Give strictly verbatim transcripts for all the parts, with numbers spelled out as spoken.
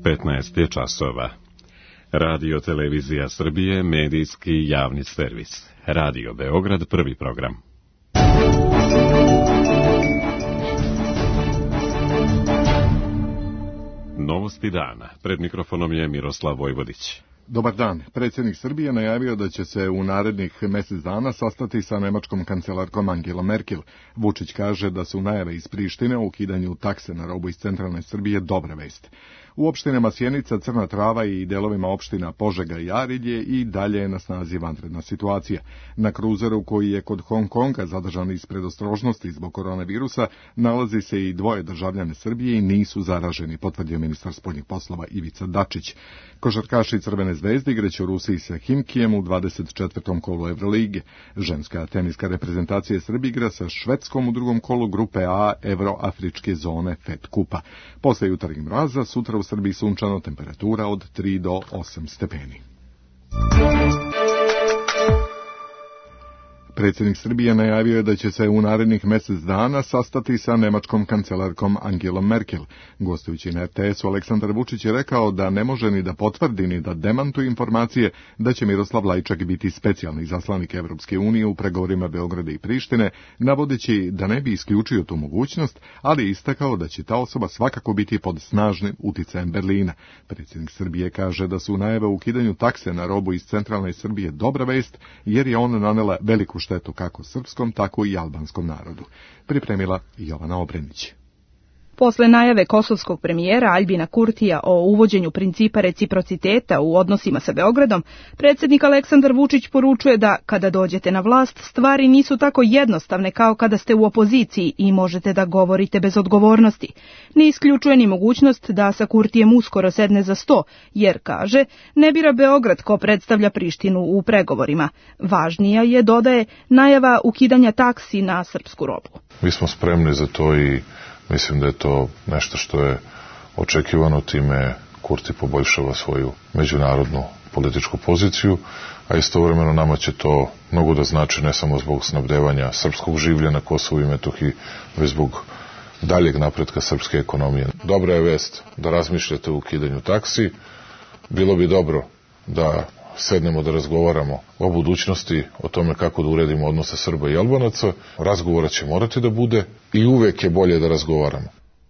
petnaest je časova. Radio Televizija Srbije, medijski javni servis. Radio Beograd, prvi program. Novosti dana. Pred mikrofonom je Miroslav Vojvodić. Dobar dan. Predsjednik Srbije najavio da će se u narednih mjesec dana sastati sa nemačkom kancelarkom Angelom Merkel. Vučić kaže da su najave iz Prištine o ukidanju takse na robu iz centralne Srbije dobra vest. U opštinama Sjenica, Crna Trava i delovima opština Požega i Arilje i dalje je na snazi vanredna situacija. Na kruzeru koji je kod Hong Konga zadržan iz predostrožnosti zbog koronavirusa nalazi se i dvoje državljane Srbije i nisu zaraženi, potvrdio ministar spoljnih poslova Ivica Dačić. Košarkaši Crvene zvezde igraće u Rusiji sa Himkijem u dvadeset četvrtom kolu Evrolige. Ženska teniska reprezentacija Srbije igra sa Švedskom u drugom kolu grupe A Evroafričke zone Fed kupa. Posle jutarnjeg mraza, sutra u Srbiji sunčano, temperatura od tri do osam stepeni. Predsjednik Srbije najavio je da će se u narednih mjesec dana sastati sa nemačkom kancelarkom Angelom Merkel. Gostujući na R T S-u, Aleksandar Vučić je rekao da ne može ni da potvrdi ni da demantuje informacije da će Miroslav Lajčak biti specijalni izaslanik Evropske unije u pregovorima Beograda i Prištine, navodeći da ne bi isključio tu mogućnost, ali istakao da će ta osoba svakako biti pod snažnim uticajem Berlina. Predsjednik Srbije kaže da su najave o ukidanju takse na robu iz centralne Srbije dobra vest, jer je ona nanela veliku štetu kako srpskom, tako i albanskom narodu. Pripremila Jovana Obrenić. Posle najave kosovskog premijera Aljbina Kurtija o uvođenju principa reciprociteta u odnosima sa Beogradom, predsjednik Aleksandar Vučić poručuje da, kada dođete na vlast, stvari nisu tako jednostavne kao kada ste u opoziciji i možete da govorite bez odgovornosti. Ne isključuje ni mogućnost da sa Kurtijem uskoro sedne za sto, jer, kaže, ne bira Beograd ko predstavlja Prištinu u pregovorima. Važnija je, dodaje, najava ukidanja taksi na srpsku robu. Mi smo spremni za to i mislim da je to nešto što je očekivano, time Kurti poboljšava svoju međunarodnu političku poziciju, a istovremeno nama će to mnogo da znači ne samo zbog snabdevanja srpskog življa na Kosovu i Metohiji, već zbog daljeg napretka srpske ekonomije. Dobra je vest da razmišljate o ukidanju taksi. Bilo bi dobro da sednemo da razgovaramo o budućnosti, o tome kako da uredimo odnose Srba i Albanaca. Razgovora će morati da bude i uvek je bolje da razgovaramo.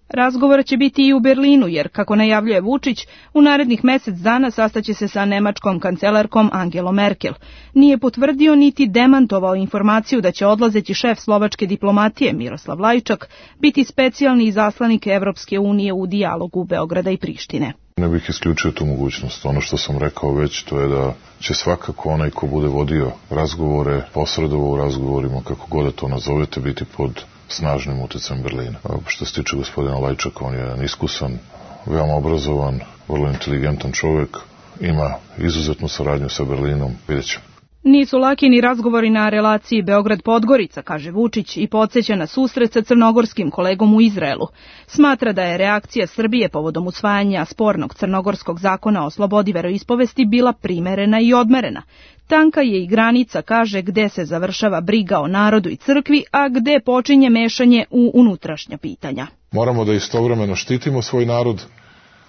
Razgovora će biti i u Berlinu, jer, kako najavljuje Vučić, u narednih mjesec dana sastaće se sa nemačkom kancelarkom Angelom Merkel. Nije potvrdio niti demantovao informaciju da će odlazeći šef slovačke diplomatije Miroslav Lajčak biti specijalni izaslanik Evropske unije u dijalogu Beograda i Prištine. Ne bih isključio tu mogućnost. Ono što sam rekao već, to je da će svakako onaj ko bude vodio razgovore, posredovao u razgovorima, kako god da to nazovete, biti pod snažnim utjecajem Berlina. A što se tiče gospodina Lajčaka, on je iskusan, veoma obrazovan, vrlo inteligentan čovjek, ima izuzetnu saradnju sa Berlinom, vidjet ćemo. Nisu laki ni razgovori na relaciji Beograd-Podgorica, kaže Vučić i podsjeća na susret sa crnogorskim kolegom u Izraelu. Smatra da je reakcija Srbije povodom usvajanja spornog crnogorskog zakona o slobodi veroispovesti bila primerena i odmerena. Tanka je i granica, kaže, gde se završava briga o narodu i crkvi, a gde počinje mešanje u unutrašnja pitanja. Moramo da istovremeno štitimo svoj narod,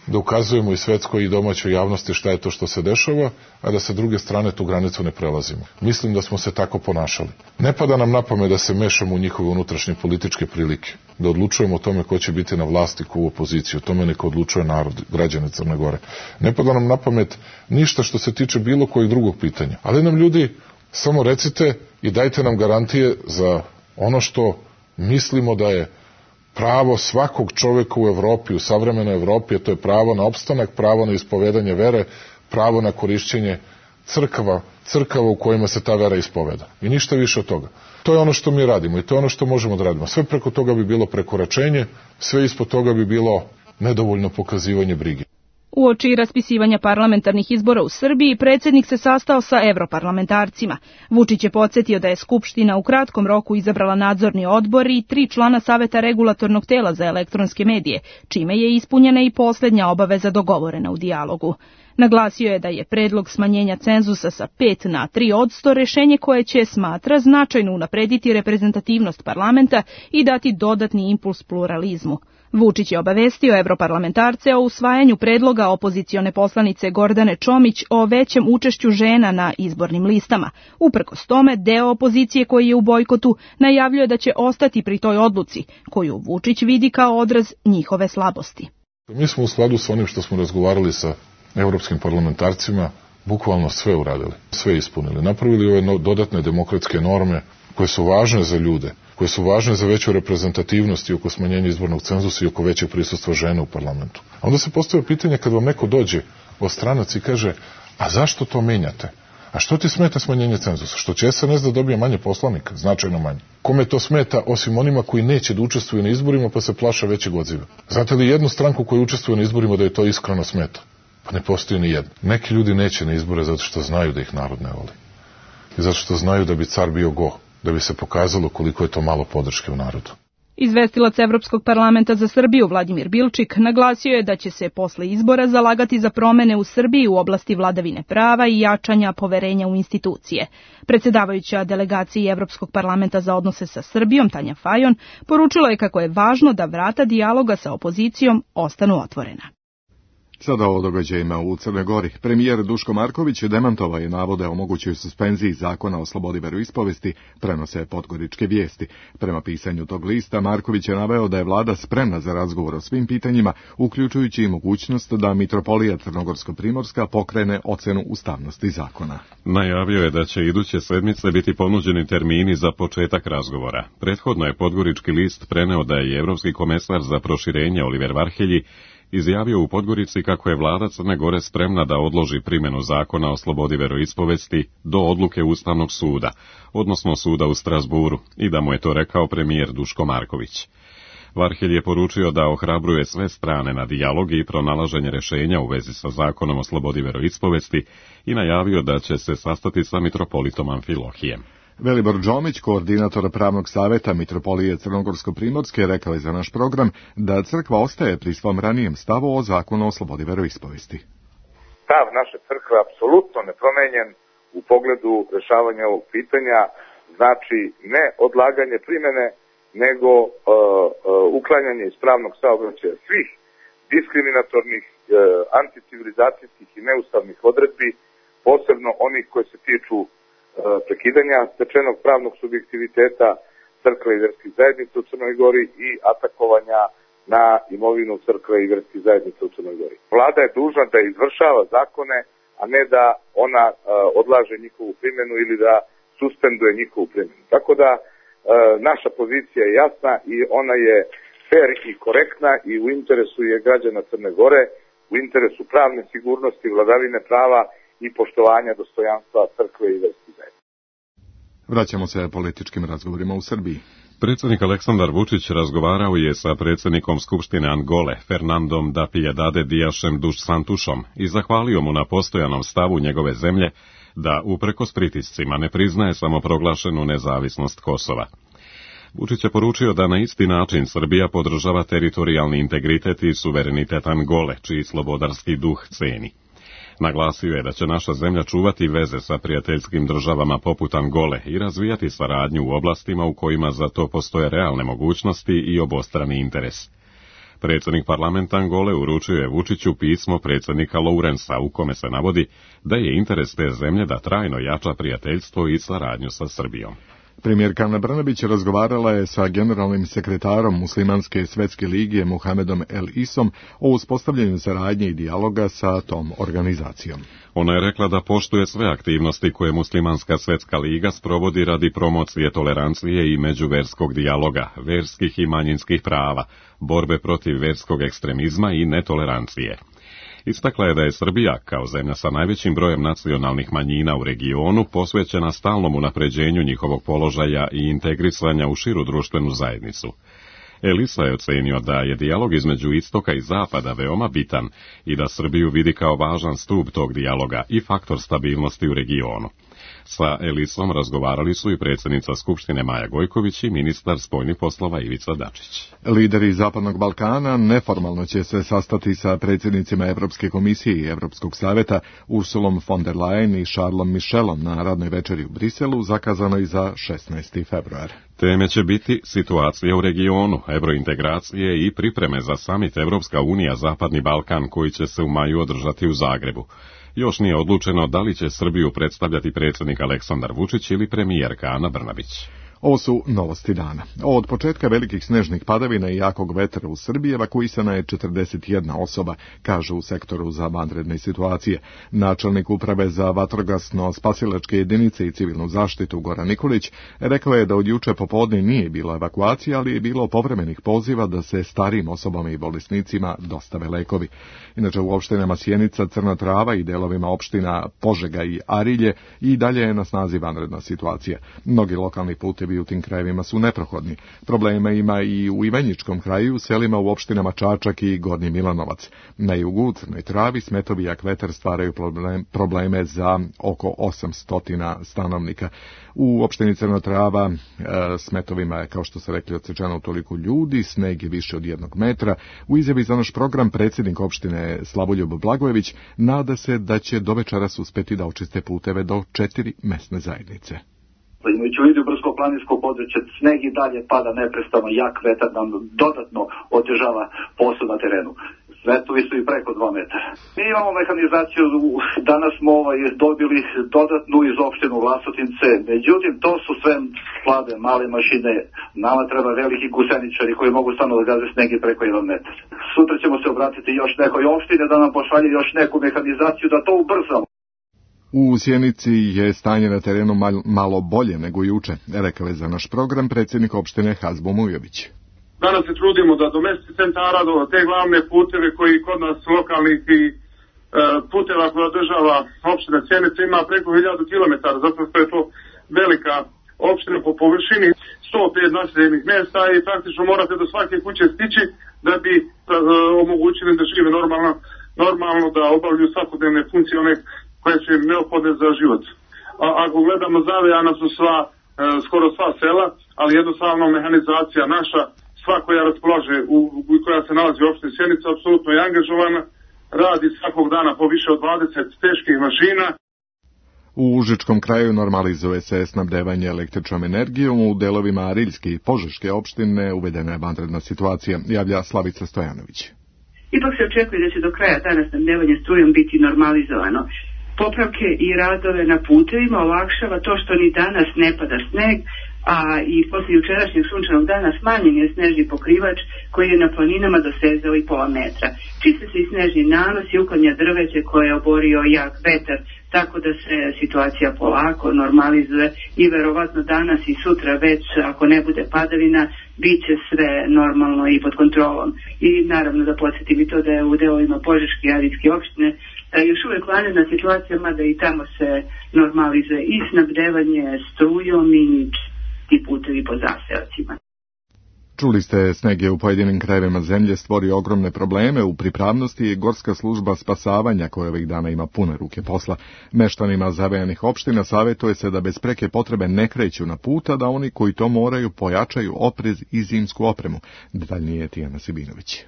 da ukazujemo i svetskoj i domaćoj javnosti šta je to što se dešava, a da sa druge strane tu granicu ne prelazimo. Mislim da smo se tako ponašali. Ne pada nam na pamet da se mešamo u njihove unutrašnje političke prilike, da odlučujemo o tome ko će biti na vlasti, ko u opoziciji, o tome neka odlučuje narod, građane Crne Gore. Ne pada nam na pamet ništa što se tiče bilo kojeg drugog pitanja. Ali nam ljudi samo recite i dajte nam garantije za ono što mislimo da je pravo svakog čovjeka u Evropi, u savremenoj Evropi, a to je pravo na opstanak, pravo na ispovedanje vere, pravo na korišćenje crkava, crkava u kojima se ta vera ispoveda. I ništa više od toga. To je ono što mi radimo i to je ono što možemo da radimo. Sve preko toga bi bilo prekoračenje, sve ispod toga bi bilo nedovoljno pokazivanje brige. Uoči raspisivanja parlamentarnih izbora u Srbiji, predsjednik se sastao sa evroparlamentarcima. Vučić je podsjetio da je Skupština u kratkom roku izabrala nadzorni odbor i tri člana Saveta regulatornog tela za elektronske medije, čime je ispunjena i posljednja obaveza dogovorena u dijalogu. Naglasio je da je predlog smanjenja cenzusa sa pet na tri odsto rešenje koje će, smatra, značajno unaprediti reprezentativnost parlamenta i dati dodatni impuls pluralizmu. Vučić je obavestio evroparlamentarce o usvajanju predloga opozicione poslanice Gordane Čomić o većem učešću žena na izbornim listama. Uprkos tome, deo opozicije koji je u bojkotu najavljuje da će ostati pri toj odluci, koju Vučić vidi kao odraz njihove slabosti. Mi smo u skladu sa onim što smo razgovarali sa evropskim parlamentarcima bukvalno sve uradili, sve ispunili. Napravili ove dodatne demokratske norme koje su važne za ljude, koje su važne za veću reprezentativnost i oko smanjenja izbornog cenzusa i oko većeg prisustva žena u parlamentu. A onda se postavlja pitanje kad vam neko dođe od stranac i kaže, a zašto to menjate? A što ti smeta smanjenje cenzusa? Što će S N S da dobije manje poslanika, značajno manje? Kome to smeta osim onima koji neće da učestvuju na izborima pa se plaša većeg odziva? Znate li jednu stranku koja učestvuje na izborima da je to iskreno smeta? Pa ne postoji ni jedna. Neki ljudi neće na izbore zato što znaju da ih narod ne voli. I zato što znaju da bi car bio go, da bi se pokazalo koliko je to malo podrške u narodu. Izvestilac Evropskog parlamenta za Srbiju Vladimir Bilčik naglasio je da će se posle izbora zalagati za promene u Srbiji u oblasti vladavine prava i jačanja poverenja u institucije. Predsjedavajuća delegaciji Evropskog parlamenta za odnose sa Srbijom, Tanja Fajon, poručila je kako je važno da vrata dijaloga sa opozicijom ostanu otvorena. Sada o događajima u Crnoj Gori. Premijer Duško Marković demantovao je navode o mogućoj suspenziji zakona o slobodi veroispovesti, prenose podgoričke vijesti. Prema pisanju tog lista, Marković je naveo da je vlada spremna za razgovor o svim pitanjima, uključujući i mogućnost da Mitropolija Crnogorsko-Primorska pokrene ocenu ustavnosti zakona. Najavio je da će iduće sedmice biti ponuđeni termini za početak razgovora. Prethodno je podgorički list preneo da je Evropski komesar za proširenje Oliver Varhelji izjavio u Podgorici kako je vlada Crne Gore spremna da odloži primjenu zakona o slobodi veroispovesti do odluke Ustavnog suda, odnosno suda u Strasburu, i da mu je to rekao premijer Duško Marković. Varhelj je poručio da ohrabruje sve strane na dijalog i pronalaženje rješenja u vezi sa zakonom o slobodi veroispovesti i najavio da će se sastati sa mitropolitom Amfilohijem. Velibor Đomić, koordinator pravnog savjeta Mitropolije Crnogorsko-Primorske, rekao je za naš program da crkva ostaje pri svom ranijem stavu o zakonu o slobodi veroispovesti. Stav naše crkve je apsolutno nepromenjen u pogledu rješavanja ovog pitanja, znači ne odlaganje primjene, nego uh, uh, uklanjanje iz pravnog saobraćaja svih diskriminatornih, uh, anticivilizacijskih i neustavnih odredbi, posebno onih koje se tiču prekidanja stečenog pravnog subjektiviteta crkve i vjerskih zajednica u Crnoj Gori i atakovanja na imovinu crkve i vjerskih zajednica u Crnoj Gori. Vlada je dužna da izvršava zakone, a ne da ona uh, odlaže njihovu primjenu ili da suspenduje njihovu primjenu. Tako da uh, naša pozicija je jasna i ona je fer i korektna i u interesu je građana Crne Gore, u interesu pravne sigurnosti, vladavine prava i poštovanja dostojanstva crkve i vjerskih zajednica. Vraćamo se političkim razgovorima u Srbiji. Predsjednik Aleksandar Vučić razgovarao je sa predsjednikom Skupštine Angole, Fernandom da Piedade Diašem dos Santusom, i zahvalio mu na postojanom stavu njegove zemlje da, uprkos pritiscima, ne priznaje samoproglašenu nezavisnost Kosova. Vučić je poručio da na isti način Srbija podržava teritorijalni integritet i suverenitet Angole, čiji slobodarski duh ceni. Naglasio je da će naša zemlja čuvati veze sa prijateljskim državama poput Angole i razvijati saradnju u oblastima u kojima za to postoje realne mogućnosti i obostrani interes. Predsjednik parlamenta Angole uručio je Vučiću pismo predsjednika Lourensa u kome se navodi da je interes te zemlje da trajno jača prijateljstvo i saradnju sa Srbijom. Premijerka Ana Brnabić razgovarala je sa generalnim sekretarom Muslimanske svetske lige Muhamedom El Isom o uspostavljanju saradnje i dijaloga sa tom organizacijom. Ona je rekla da poštuje sve aktivnosti koje Muslimanska svetska liga sprovodi radi promocije tolerancije i međuverskog dijaloga, verskih i manjinskih prava, borbe protiv verskog ekstremizma i netolerancije. Istakla je da je Srbija, kao zemlja sa najvećim brojem nacionalnih manjina u regionu, posvećena stalnom unapređenju njihovog položaja i integrisanja u širu društvenu zajednicu. Elisa je ocenio da je dijalog između istoka i zapada veoma bitan i da Srbiju vidi kao važan stup tog dijaloga i faktor stabilnosti u regionu. Sa Elisom razgovarali su i predsjednica Skupštine Maja Gojković i ministar spoljnih poslova Ivica Dačić. Lideri Zapadnog Balkana neformalno će se sastati sa predsjednicima Evropske komisije i Evropskog savjeta Ursulom von der Leyen i Charlesom Michelom na radnoj večeri u Briselu, zakazanoj za šesnaesti februar. Teme će biti situacija u regionu, evrointegracije i pripreme za samit Evropska unija Zapadni Balkan koji će se u maju održati u Zagrebu. Još nije odlučeno da li će Srbiju predstavljati predsjednik Aleksandar Vučić ili premijerka Ana Brnabić. Ovo su novosti dana. Od početka velikih snežnih padavina i jakog vetra u Srbiji evakuisana je četrdeset jedna osoba, kažu u sektoru za vanredne situacije. Načelnik uprave za vatrogasno-spasilačke jedinice i civilnu zaštitu Goran Nikolić rekao je da od juče popodne nije bilo evakuacije, ali je bilo povremenih poziva da se starijim osobama i bolesnicima dostave lekovi. Inače, u opštinama Sjenica, Crna Trava i delovima opština Požega i Arilje i dalje je na snazi vanredna situacija. Mnogi lokalni putevi u tim krajevima su neprohodni. Problema ima i u Ivanjičkom kraju, selima u opštinama Čačak i Gornji Milanovac. Na jugu, u Crnoj Travi, smetovi i jak vetar stvaraju problem, probleme za oko osamsto stanovnika. U opštini Crna Trava e, smetovima je, kao što se rekli, odsečeno toliko ljudi, sneg je više od jednog metra. U izjavi za naš program predsjednik opštine Slavoljub Blagojević nada se da će do večeras uspeti da očiste puteve do četiri mesne zajednice. Imajući u vidu brdsko-planinsko područje, sneg i dalje pada neprestano, jak vetar nam dodatno otežava posao na terenu. Svetovi su i preko dva metara. Mi imamo mehanizaciju, danas smo ovaj, dobili dodatnu iz opštinu Vlasotince, međutim to su sve slabe, male mašine. Nama treba veliki guseničari koji mogu stano da gaze sneg i preko jedan metar. Sutra ćemo se obratiti još nekoj opštine da nam pošalje još neku mehanizaciju da to ubrzamo. U Sjenici je stanje na terenu malo bolje nego juče, rekao je za naš program predsjednik opštine Hazbo Mujović. Danas se trudimo da do mesnih centara, do te glavne puteve koji kod nas lokalnih i e, puteva koja održava opština Sjenica ima preko hiljadu kilometara, zato što je to velika opština po površini, sto pet naseljenih mjesta i praktično morate do svake kuće stići da bi e, omogućili da žive normalno, normalno da obavljaju svakodnevne funkcije one koje su im neophodne za život. A, ako gledamo, zavejana su sva, e, skoro sva sela, ali jednostavno mehanizacija naša, sva koja raspolaže, u, koja se nalazi u opštini Sjenica, apsolutno je angažovana, radi svakog dana po više od dvadeset teških mašina. U Užičkom kraju normalizuje se snabdevanje električnom energijom, u delovima Ariljske i Požeške opštine uvedena je vanredna situacija, javlja Slavica Stojanović. Ipak se očekuje da će do kraja dana snabdevanje strujom biti normalizovano. Popravke i radove na putevima olakšava to što ni danas ne pada sneg, a i poslije jučerašnjeg sunčanog dana smanjen je snežni pokrivač koji je na planinama dosezao i pola metra. Čiste se i snežni nanos i uklanja drveće koje je oborio jak vetar, tako da se situacija polako normalizuje i verovatno danas i sutra već, ako ne bude padavina, bit će sve normalno i pod kontrolom. I naravno da podsjetim i to da je u delovima Požeške i Arilske opštine još uvijek vanredna situacija, mada i tamo se normalizuje i snabdevanje strujom i ti putevi po zaseocima. Čuli ste, sneg je u pojedinim krajevima zemlje stvorio ogromne probleme u pripravnosti i Gorska služba spasavanja koja ovih dana ima pune ruke posla. Meštanima zavejanih opština savjetuje se da bez preke potrebe ne kreću na puta, da oni koji to moraju pojačaju oprez i zimsku opremu. Detaljnije je Tijana Sibinović.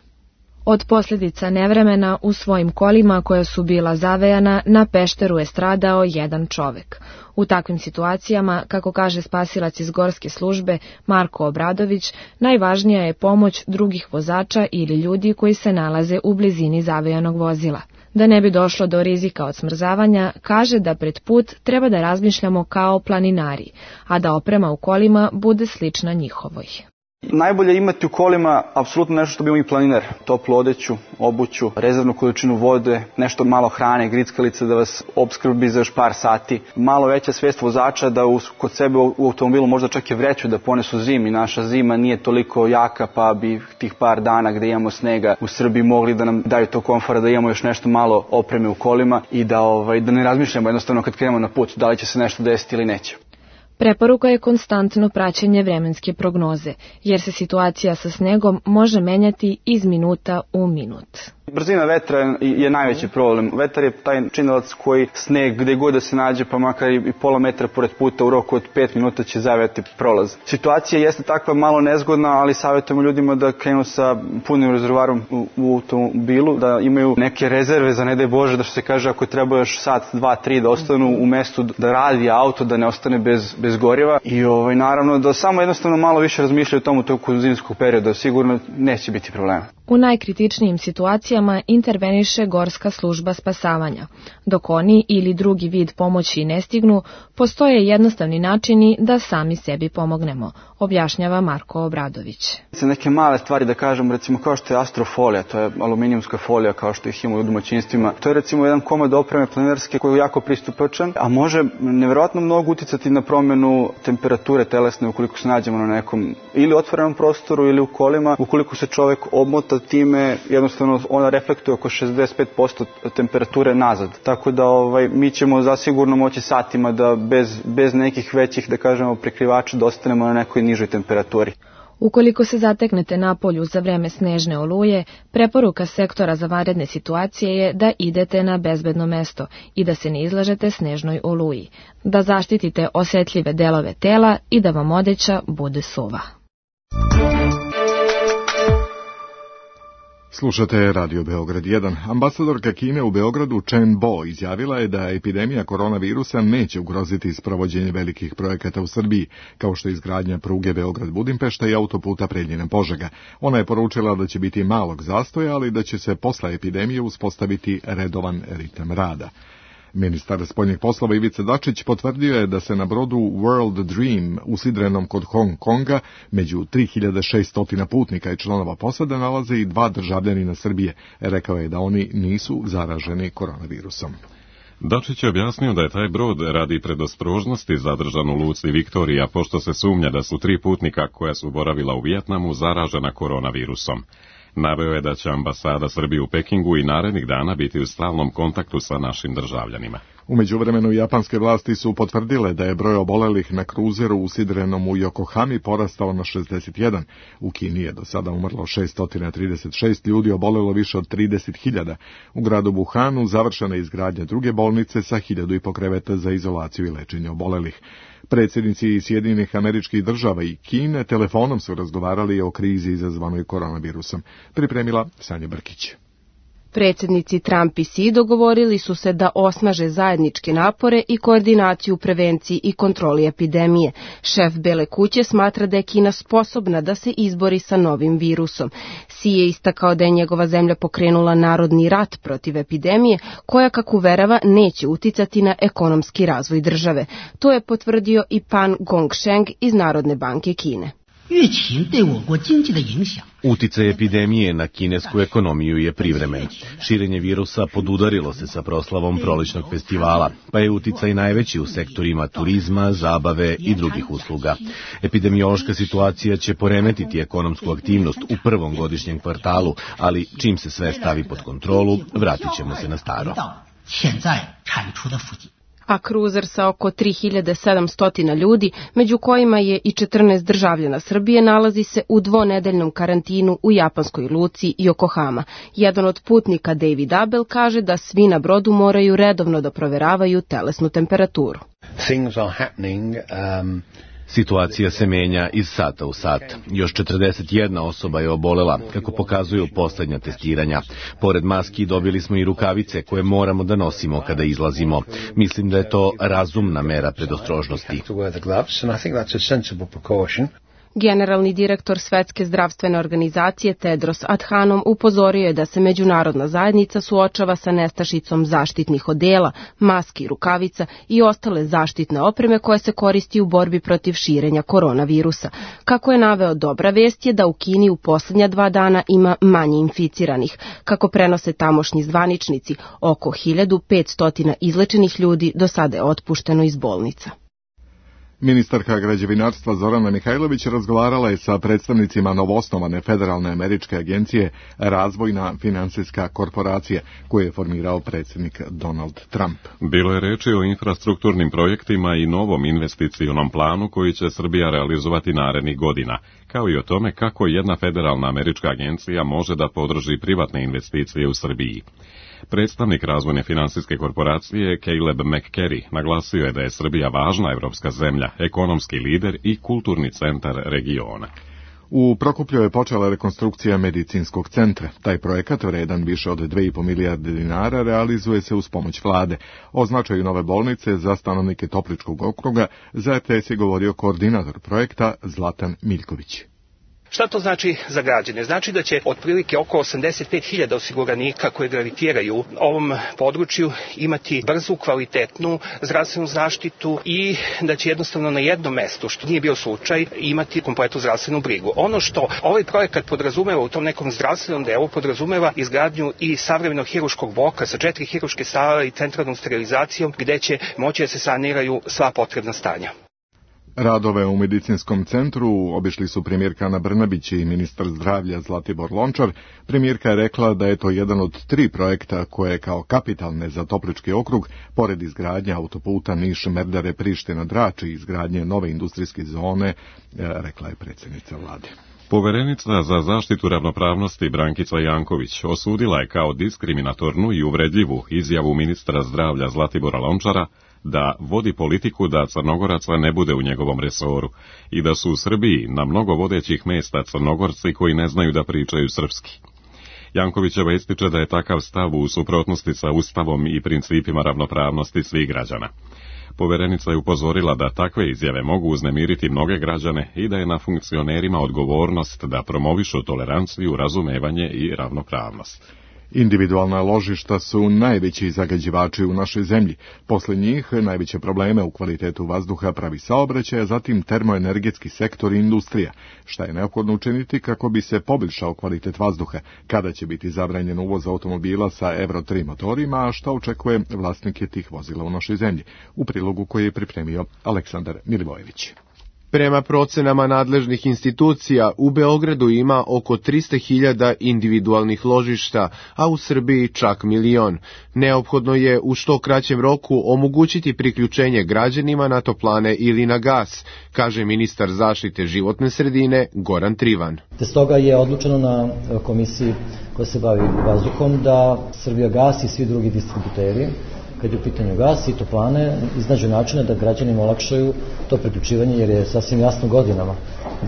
Od posljedica nevremena u svojim kolima koja su bila zavejana na Pešteru je stradao jedan čovek. U takvim situacijama, kako kaže spasilac iz Gorske službe Marko Obradović, najvažnija je pomoć drugih vozača ili ljudi koji se nalaze u blizini zavejanog vozila. Da ne bi došlo do rizika od smrzavanja, kaže da pred put treba da razmišljamo kao planinari, a da oprema u kolima bude slična njihovoj. Najbolje imati u kolima apsolutno nešto što bi imao i planiner. Toplu odeću, obuću, rezervnu količinu vode, nešto malo hrane, grickalice da vas opskrbi za još par sati. Malo veća svijest vozača da u, kod sebe u automobilu možda čak i vreću da ponesu zimi. Naša zima nije toliko jaka pa bi tih par dana gde imamo snega u Srbiji mogli da nam daju to komfora, da imamo još nešto malo opreme u kolima i da, ovaj, da ne razmišljamo jednostavno kad krenemo na put da li će se nešto desiti ili neće. Preporuka je konstantno praćenje vremenske prognoze, jer se situacija sa snegom može menjati iz minuta u minut. Brzina vetra je najveći problem. Vetar je taj činilac koji sneg gde god da se nađe, pa makar i pola metra pored puta u roku od pet minuta će zavejati prolaz. Situacija jeste takva malo nezgodna, ali savjetujemo ljudima da krenu sa punim rezervoarom u, u automobilu, da imaju neke rezerve za ne daj Bože, da što se kaže ako treba još sat, dva, tri da ostanu u mestu da radi auto, da ne ostane bez, bez goriva i ovaj, naravno da samo jednostavno malo više razmišljaju o tomu toku zimskog perioda, sigurno neće biti problema. U najkritičnijim situacijama interveniše Gorska služba spasavanja. Dok oni ili drugi vid pomoći ne stignu, postoje jednostavni načini da sami sebi pomognemo, objašnjava Marko Obradović. Neke male stvari da kažem, recimo kao što je astrofolija, to je aluminijumska folija kao što ih ima u domaćinstvima. To je recimo jedan komad opreme planinarske koji je jako pristupačan, a može nevjerojatno mnogo uticati na promjenu temperature telesne ukoliko se nađemo na nekom ili otvorenom prostoru ili u kolima. Ukoliko se čovjek obmota time, jednostavno ona reflektuje oko šezdeset pet posto temperature nazad. Tako da ovaj, mi ćemo zasigurno moći satima da bez, bez nekih većih, da kažemo, prekrivača da ostanemo na nekoj nižoj temperaturi. Ukoliko se zateknete na polju za vreme snežne oluje, preporuka sektora za vanredne situacije je da idete na bezbedno mesto i da se ne izlažete snežnoj oluji, da zaštitite osjetljive delove tela i da vam odeća bude suva. Slušate Radio Beograd jedan. Ambasadorka Kine u Beogradu Chen Bo izjavila je da epidemija koronavirusa neće ugroziti sprovođenje velikih projekata u Srbiji, kao što je izgradnja pruge Beograd-Budimpešta i autoputa Preljina-Požega. Ona je poručila da će biti malog zastoja, ali da će se posle epidemije uspostaviti redovan ritam rada. Ministar spoljnih poslova Ivica Dačić potvrdio je da se na brodu World Dream usidrenom kod Hong Konga među tri hiljade šesto putnika i članova posade nalaze i dva državljanina Srbije. Rekao je da oni nisu zaraženi koronavirusom. Dačić je objasnio da je taj brod radi predostrožnosti zadržan u luci Viktorija, pošto se sumnja da su tri putnika koja su boravila u Vijetnamu zaražena koronavirusom. Naveo je da će ambasada Srbije u Pekingu i narednih dana biti u stalnom kontaktu sa našim državljanima. U međuvremenu japanske vlasti su potvrdile da je broj obolelih na kruzeru usidrenom u Yokohami porastao na šezdeset jedan. U Kini je do sada umrlo šesto trideset šest ljudi, obolelo više od trideset hiljada. U gradu Wuhanu završena je izgradnja druge bolnice sa hiljadu i po kreveta za izolaciju i lečenje obolelih. Predsjednici Sjedinjenih Američkih Država i Kine telefonom su razgovarali o krizi izazvanoj koronavirusom. Pripremila Sanja Brkić. Predsjednici Trump i Xi dogovorili su se da osnaže zajedničke napore i koordinaciju u prevenciji i kontroli epidemije. Šef Bele kuće smatra da je Kina sposobna da se izbori sa novim virusom. Xi je istakao da je njegova zemlja pokrenula narodni rat protiv epidemije, koja, kako uverava, neće uticati na ekonomski razvoj države. To je potvrdio i Pan Gongsheng iz Narodne banke Kine. Uticaj epidemije na kinesku ekonomiju je privremen. Širenje virusa podudarilo se sa proslavom prolećnog festivala, pa je uticaj najveći u sektorima turizma, zabave i drugih usluga. Epidemiološka situacija će poremetiti ekonomsku aktivnost u prvom godišnjem kvartalu, ali čim se sve stavi pod kontrolu, vratit ćemo se na staro. A kruzer sa oko tri hiljade sedamsto ljudi, među kojima je i četrnaest državljana Srbije, nalazi se u dvonedeljnom karantinu u japanskoj luci Yokohama. Jedan od putnika, David Abel, kaže da svi na brodu moraju redovno da proveravaju telesnu temperaturu. Things are happening, um... Situacija se menja iz sata u sat. Još četrdeset jedna osoba je obolela, kako pokazuju poslednja testiranja. Pored maski dobili smo i rukavice koje moramo da nosimo kada izlazimo. Mislim da je to razumna mera predostrožnosti. Generalni direktor Svetske zdravstvene organizacije Tedros Adhanom upozorio je da se međunarodna zajednica suočava sa nestašicom zaštitnih odela, maski, rukavica i ostale zaštitne opreme koje se koristi u borbi protiv širenja koronavirusa. Kako je naveo, dobra vest je da u Kini u posljednja dva dana ima manje inficiranih. Kako prenose tamošnji zvaničnici, oko hiljadu petsto izlečenih ljudi do sada je otpušteno iz bolnica. Ministarka građevinarstva Zorana Mihajlović razgovarala je sa predstavnicima novoosnovane Federalne američke agencije Razvojna finansijska korporacija, koju je formirao predsjednik Donald Trump. Bilo je reči o infrastrukturnim projektima i novom investicionom planu koji će Srbija realizovati narednih godina, kao i o tome kako jedna federalna američka agencija može da podrži privatne investicije u Srbiji. Predstavnik razvojne finansijske korporacije Caleb McCary naglasio je da je Srbija važna evropska zemlja, ekonomski lider i kulturni centar regiona. U Prokuplju je počela rekonstrukcija medicinskog centra. Taj projekat, vredan više od dve i po milijarde dinara, realizuje se uz pomoć vlade. O značaju nove bolnice za stanovnike Topličkog okruga za R T S je govorio koordinator projekta Zlatan Miljković. Šta to znači za građane? Znači da će otprilike oko osamdeset pet hiljada osiguranika koji gravitiraju ovom području imati brzu, kvalitetnu zdravstvenu zaštitu i da će jednostavno na jednom mestu, što nije bio slučaj, imati kompletnu zdravstvenu brigu. Ono što ovaj projekat podrazumeva u tom nekom zdravstvenom delu, podrazumeva izgradnju i savremenog hiruškog bloka sa četiri hiruške sale i centralnom sterilizacijom gde će moći da se saniraju sva potrebna stanja. Radove u medicinskom centru obišli su premijerka Ana Brnabić i ministar zdravlja Zlatibor Lončar. Premijerka je rekla da je to jedan od tri projekta koje kao kapitalne za Toplički okrug, pored izgradnje autoputa Niš-Merdare-Priština-Drač i izgradnje nove industrijske zone, rekla je predsjednica vlade. Poverenica za zaštitu ravnopravnosti Brankica Janković osudila je kao diskriminatornu i uvredljivu izjavu ministra zdravlja Zlatibora Lončara da vodi politiku da Crnogoraca ne bude u njegovom resoru i da su u Srbiji na mnogo vodećih mesta Crnogorci koji ne znaju da pričaju srpski. Jankovićeva ističe da je takav stav u suprotnosti sa Ustavom i principima ravnopravnosti svih građana. Poverenica je upozorila da takve izjave mogu uznemiriti mnoge građane i da je na funkcionerima odgovornost da promovišu toleranciju, razumevanje i ravnopravnost. Individualna ložišta su najveći zagađivači u našoj zemlji. Posle njih najveće probleme u kvalitetu vazduha pravi saobraćaj, a zatim termoenergetski sektor i industrija. Šta je neophodno učiniti kako bi se poboljšao kvalitet vazduha? Kada će biti zabranjen uvoz automobila sa Euro tri motorima, a šta očekuje vlasnike tih vozila u našoj zemlji? U prilogu koji je pripremio Aleksandar Milivojević. Prema procenama nadležnih institucija, u Beogradu ima oko trista hiljada individualnih ložišta, a u Srbiji čak milion. Neophodno je u što kraćem roku omogućiti priključenje građanima na toplane ili na gas, kaže ministar zaštite životne sredine Goran Trivan. Te stoga je odlučeno na komisiji koja se bavi vazduhom da Srbijagas i svi drugi distributeri, kad je u pitanju gas i toplane, iznađu načine da građanima olakšaju to priključivanje, jer je sasvim jasno godinama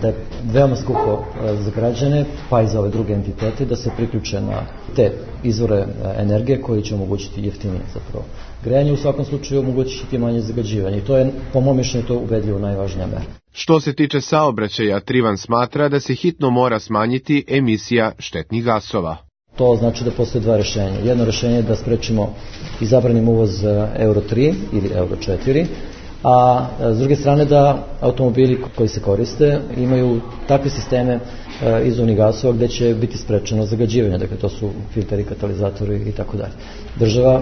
da je veoma skupo za građane, pa i za ove druge entitete, da se priključe na te izvore energije koji će omogućiti jeftinije zapravo grejanje, u svakom slučaju omogućiti manje zagađivanje. I to je, po mom mišljenju, to ubedljivo najvažnija mera. Što se tiče saobraćaja, Trivan smatra da se hitno mora smanjiti emisija štetnih gasova. To znači da postoje dva rešenja. Jedno rešenje je da sprečimo i zabranimo uvoz Euro tri ili Euro četiri, a s druge strane da automobili koji se koriste imaju takve sisteme izduvnih gasova gde će biti sprečeno zagađivanje, dakle to su filteri, katalizatori i tako dalje. Država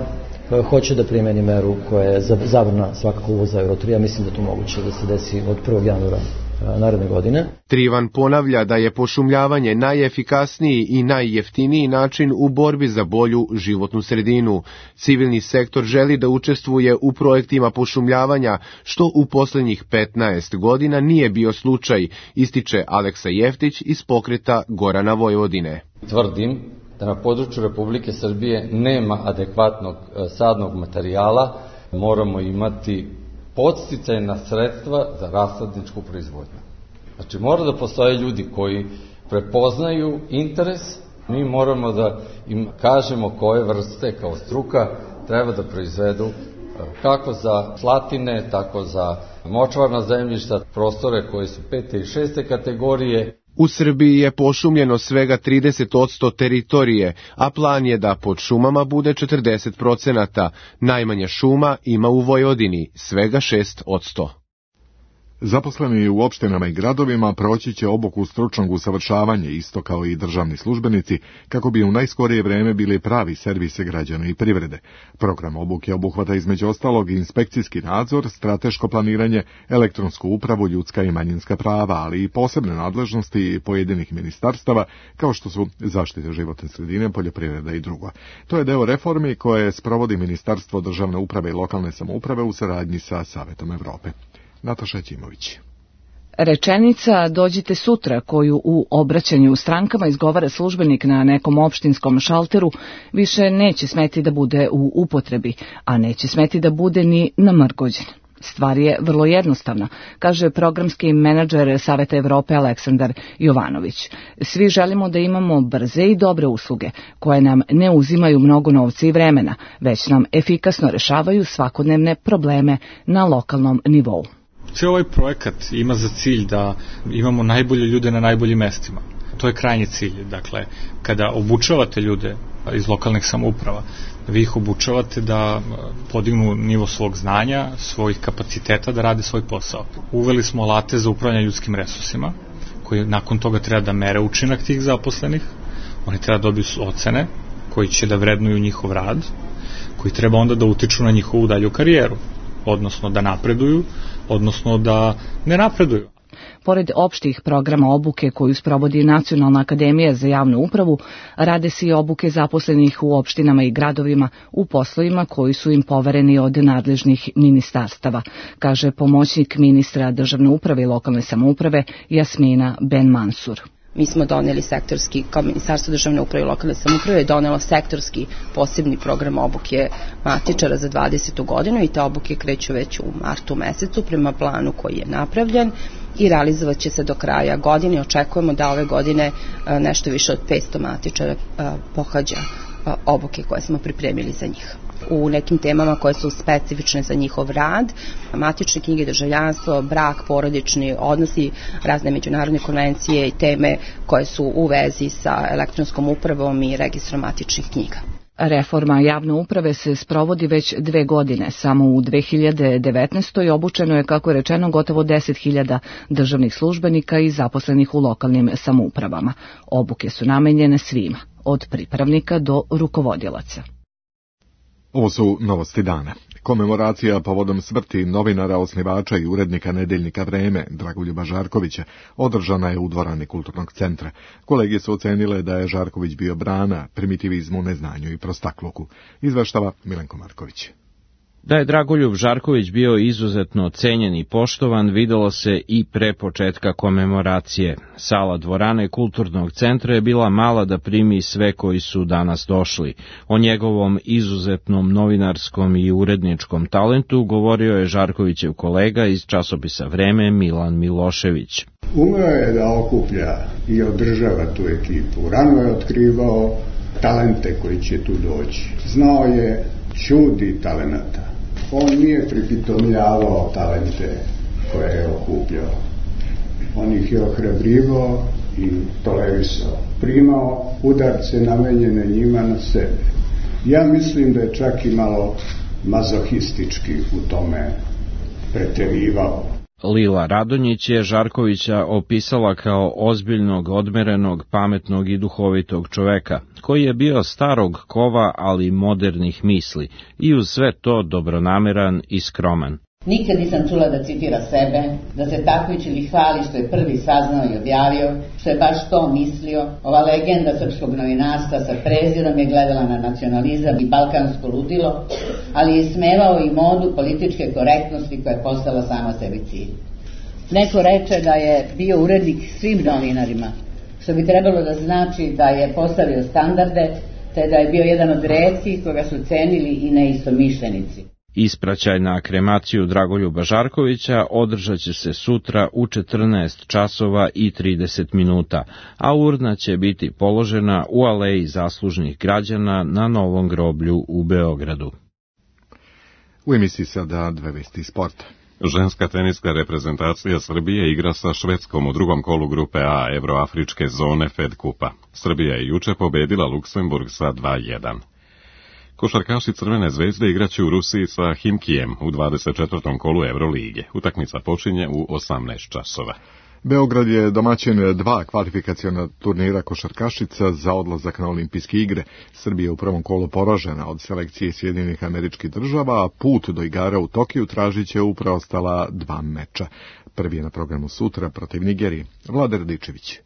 hoće da primeni meru koja je zabrana svakako uvoza Euro tri, a mislim da to moguće da se desi od prvog januara naredne godine. Trivan ponavlja da je pošumljavanje najefikasniji i najjeftiniji način u borbi za bolju životnu sredinu. Civilni sektor želi da učestvuje u projektima pošumljavanja, što u poslednjih petnaest godina nije bio slučaj, ističe Aleksa Jeftić iz pokreta Gorana Vojvodine. Tvrdim da na području Republike Srbije nema adekvatnog sadnog materijala, moramo imati podsticajna sredstva za rasadničku proizvodnju. Znači, mora da postoje ljudi koji prepoznaju interes, mi moramo da im kažemo koje vrste kao struka treba da proizvedu kako za slatine, tako za močvarna zemljišta, prostore koje su pete i šeste kategorije. U Srbiji je pošumljeno svega trideset posto teritorije, a plan je da pod šumama bude četrdeset procenata. Najmanje šuma ima u Vojvodini, svega šest posto. Zaposleni u opštinama i gradovima proći će obuku stručnog usavršavanja, isto kao i državni službenici, kako bi u najskorije vreme bili pravi servise građana i privrede. Program obuke obuhvata između ostalog inspekcijski nadzor, strateško planiranje, elektronsku upravu, ljudska i manjinska prava, ali i posebne nadležnosti pojedinih ministarstava, kao što su zaštita životne sredine, poljoprivreda i drugo. To je deo reformi koje sprovodi Ministarstvo državne uprave i lokalne samouprave u saradnji sa Savetom Evrope. Nataša Ćimović. Rečenica "dođite sutra" koju u obraćanju strankama izgovara službenik na nekom opštinskom šalteru više neće smeti da bude u upotrebi, a neće smeti da bude ni namrgođen. Stvar je vrlo jednostavna, kaže programski menadžer Saveta Evrope Aleksandar Jovanović. Svi želimo da imamo brze i dobre usluge, koje nam ne uzimaju mnogo novca i vremena, već nam efikasno rešavaju svakodnevne probleme na lokalnom nivou. Cijel ovaj projekat ima za cilj da imamo najbolje ljude na najboljim mestima. To je krajnji cilj. Dakle, kada obučavate ljude iz lokalnih samouprava, vi ih obučavate da podignu nivo svog znanja, svojih kapaciteta da rade svoj posao. Uveli smo alate za upravljanje ljudskim resursima, koji nakon toga treba da mere učinak tih zaposlenih. Oni treba da dobiju ocene koji će da vrednuju njihov rad, koji treba onda da utiču na njihovu dalju karijeru, odnosno da napreduju, odnosno da ne napreduju. Pored opštih programa obuke koju sprovodi Nacionalna akademija za javnu upravu, rade se i obuke zaposlenih u opštinama i gradovima u poslovima koji su im povereni od nadležnih ministarstava, kaže pomoćnik ministra državne uprave i lokalne samouprave Jasmina Ben Mansur. Mi smo doneli sektorski, kao Ministarstvo državne uprave i lokalne samouprave je donelo sektorski posebni program obuke matičara za dvadesetu godinu i te obuke kreću već u martu mesecu prema planu koji je napravljen i realizovat će se do kraja godine. Očekujemo da ove godine nešto više od petsto matičara pohađa obuke koje smo pripremili za njih. U nekim temama koje su specifične za njihov rad, matične knjige, državljanstvo, brak, porodični odnosi, razne međunarodne konvencije i teme koje su u vezi sa elektronskom upravom i registrom matičnih knjiga. Reforma javne uprave se sprovodi već dve godine. Samo u dve hiljade devetnaestoj. obučeno je, kako je rečeno, gotovo deset hiljada državnih službenika i zaposlenih u lokalnim samoupravama. Obuke su namenjene svima, od pripravnika do rukovodilaca. Ovo su novosti dana. Komemoracija povodom smrti novinara, osnivača i urednika nedeljnika Vreme, Dragoljuba Žarkovića, održana je u dvorani Kulturnog centra. Kolege su ocenile da je Žarković bio brana primitivizmu, neznanju i prostakluku. Izveštava Milenko Marković. Da je Dragoljub Žarković bio izuzetno cenjen i poštovan, videlo se i pre početka komemoracije. Sala dvorane Kulturnog centra je bila mala da primi sve koji su danas došli. O njegovom izuzetnom novinarskom i uredničkom talentu govorio je Žarkovićev kolega iz časopisa Vreme Milan Milošević. Umeo je da okuplja i održava tu ekipu. Rano je otkrivao talente koji će tu doći. Znao je čudi talenata. On nije pripitomljavao talente koje je okupljao. On ih je ohrabrivao i tolerisao. Primao udarce namenjene njima na sebe. Ja mislim da je čak i malo mazohistički u tome preterivao. Lila Radonjić je Žarkovića opisala kao ozbiljnog, odmerenog, pametnog i duhovitog čoveka, koji je bio starog kova, ali modernih misli, i uz sve to dobronameran i skroman. Nikad nisam čula da citira sebe, da se takmiči ili hvali što je prvi saznao i objavio, što je baš to mislio. Ova legenda srpskog novinarstva sa prezirom je gledala na nacionalizam i balkansko ludilo, ali je smevao i modu političke korektnosti koja je postala sama sebi cilj. Neko reče da je bio urednik svim novinarima, što bi trebalo da znači da je postavio standarde, te da je bio jedan od retkih koga su cenili i neistomišljenici. Ispraćaj na kremaciju Dragoljuba Žarkovića održat će se sutra u četrnaest časova i trideset minuta, a urna će biti položena u aleji zaslužnih građana na Novom groblju u Beogradu. U emisiji sada dve vesti sporta. Ženska teniska reprezentacija Srbije igra sa Švedskom u drugom kolu grupe A Evroafričke zone Fed Kupa. Srbija je juče pobedila Luksemburg sa dva jedan. Košarkaši Crvene zvezde igraće u Rusiji sa Himkijem u dvadeset četvrtom kolu Evrolige. Utakmica počinje u osamnaest časova. Beograd je domaćin dva kvalifikaciona turnira košarkašica za odlazak na olimpijske igre. Srbija je u prvom kolu poražena od selekcije Sjedinjenih Američkih Država, a put do igara u Tokiju tražit će u preostala dva meča. Prvi je na programu sutra protiv Nigerije. Vlada Radičević.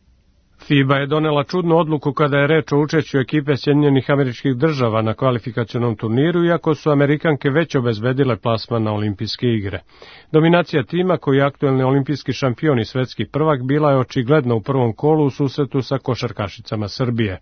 FIBA je donela čudnu odluku kada je reč o učešću ekipe Sjedinjenih Američkih Država na kvalifikacionom turniru, iako su Amerikanke već obezbedile plasman na olimpijske igre. Dominacija tima, koji je aktuelni olimpijski šampion i svetski prvak, bila je očigledna u prvom kolu u susretu sa košarkašicama Srbije.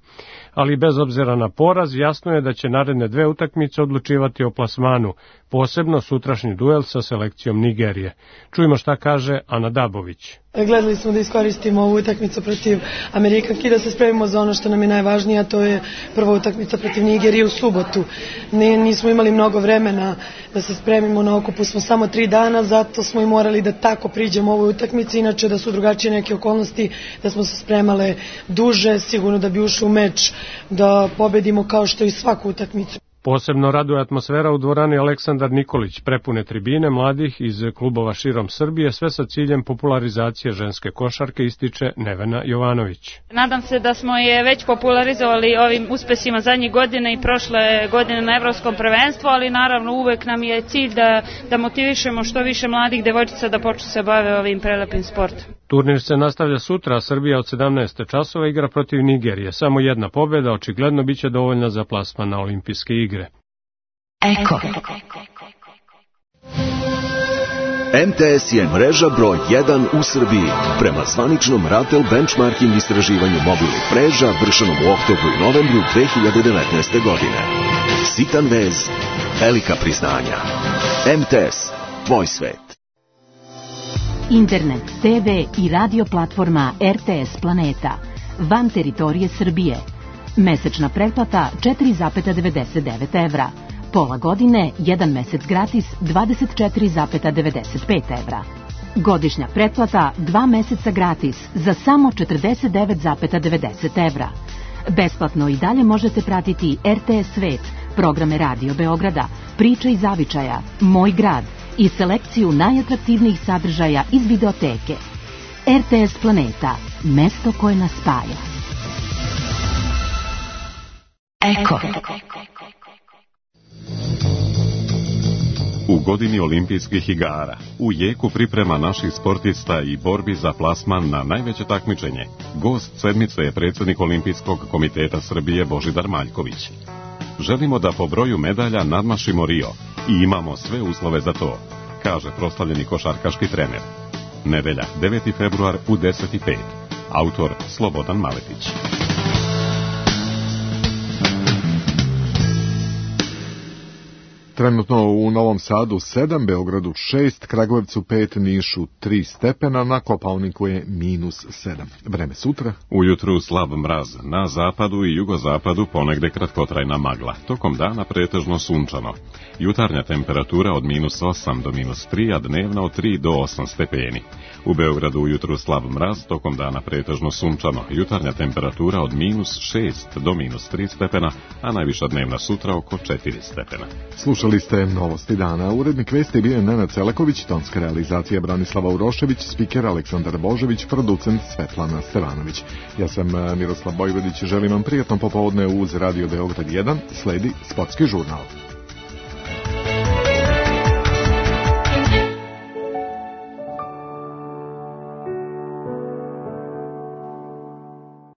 Ali bez obzira na poraz, jasno je da će naredne dve utakmice odlučivati o plasmanu, posebno sutrašnji duel sa selekcijom Nigerije. Čujmo šta kaže Ana Dabović. Gledali smo da iskoristimo ovu utakmicu protiv Amerikanki, da se spremimo za ono što nam je najvažnije, a to je prva utakmica protiv Nigerije u subotu. Nismo imali mnogo vremena da se spremimo, na okupu smo samo tri dana, zato smo i morali da tako priđemo ovoj utakmici, inače da su drugačije neke okolnosti, da smo se spremale duže, sigurno da bi ušli u meč, da pobedimo kao što i svaku utakmicu. Posebno raduje atmosfera u dvorani Aleksandar Nikolić, prepune tribine mladih iz klubova širom Srbije, sve sa ciljem popularizacije ženske košarke, ističe Nevena Jovanović. Nadam se da smo je već popularizovali ovim uspesima zadnjih godina i prošle godine na evropskom prvenstvu, ali naravno uvek nam je cilj da, da motivišemo što više mladih devojčica da počnu se bave ovim prelepim sportom. Turnir se nastavlja sutra, a Srbija od sedamnaest časova igra protiv Nigerije. Samo jedna pobjeda očigledno biće dovoljna za plasman na olimpijske igre. Eko. M T S je mreža broj jedan u Srbiji. Prema zvaničnom Ratel benchmarking istraživanju mobilnih mreža vršenom u oktobru i novembru dve hiljade devetnaeste. godine. Sitan vez, velika priznanja. M T S, tvoj svet. Internet, te ve i radio platforma R T S Planeta. Van teritorije Srbije. Mesečna pretplata četiri zarez devedeset devet evra. Pola godine, jedan mesec gratis, dvadeset četiri zarez devedeset pet evra. Godišnja pretplata, dva meseca gratis, za samo četrdeset devet zarez devedeset evra. Besplatno i dalje možete pratiti R T S Svet, programe Radio Beograda, Priče iz zavičaja, Moj grad i selekciju najatraktivnijih sadržaja iz videoteke. R T S Planeta, mesto koje nas spaja. Eko. U godini olimpijskih igara, u jeku priprema naših sportista i borbi za plasman na najveće takmičenje, gost sedmice je predsjednik Olimpijskog komiteta Srbije Božidar Maljković. Želimo da po broju medalja nadmašimo Rio i imamo sve uslove za to, kaže proslavljeni košarkaški trener. Nedelja, deveti februar u deset i pet. Autor Slobodan Maletić. Trenutno u Novom Sadu sedam, Beogradu šest, Kragujevcu pet, Nišu tri stepena, na Kopaoniku je minus sedam. Vreme sutra. Ujutru slab mraz, na zapadu i jugozapadu ponegde kratkotrajna magla, tokom dana pretežno sunčano. Jutarnja temperatura od minus osam do minus tri, a dnevna od tri do osam stepeni. U Beogradu ujutru slab mraz, tokom dana pretežno sunčano, jutarnja temperatura od minus šest do minus tri stepena, a najviša dnevna sutra oko četiri stepena. Slušali ste Novosti dana. Urednik vesti bio Nenad Celeković, tonska realizacija Branislava Urošević, spiker Aleksandar Božević, producent Svetlana Stevanović. Ja sam Miroslav Bojvodić, želim vam prijatno popovodne uz Radio Beograd jedan, sledi sportski žurnal.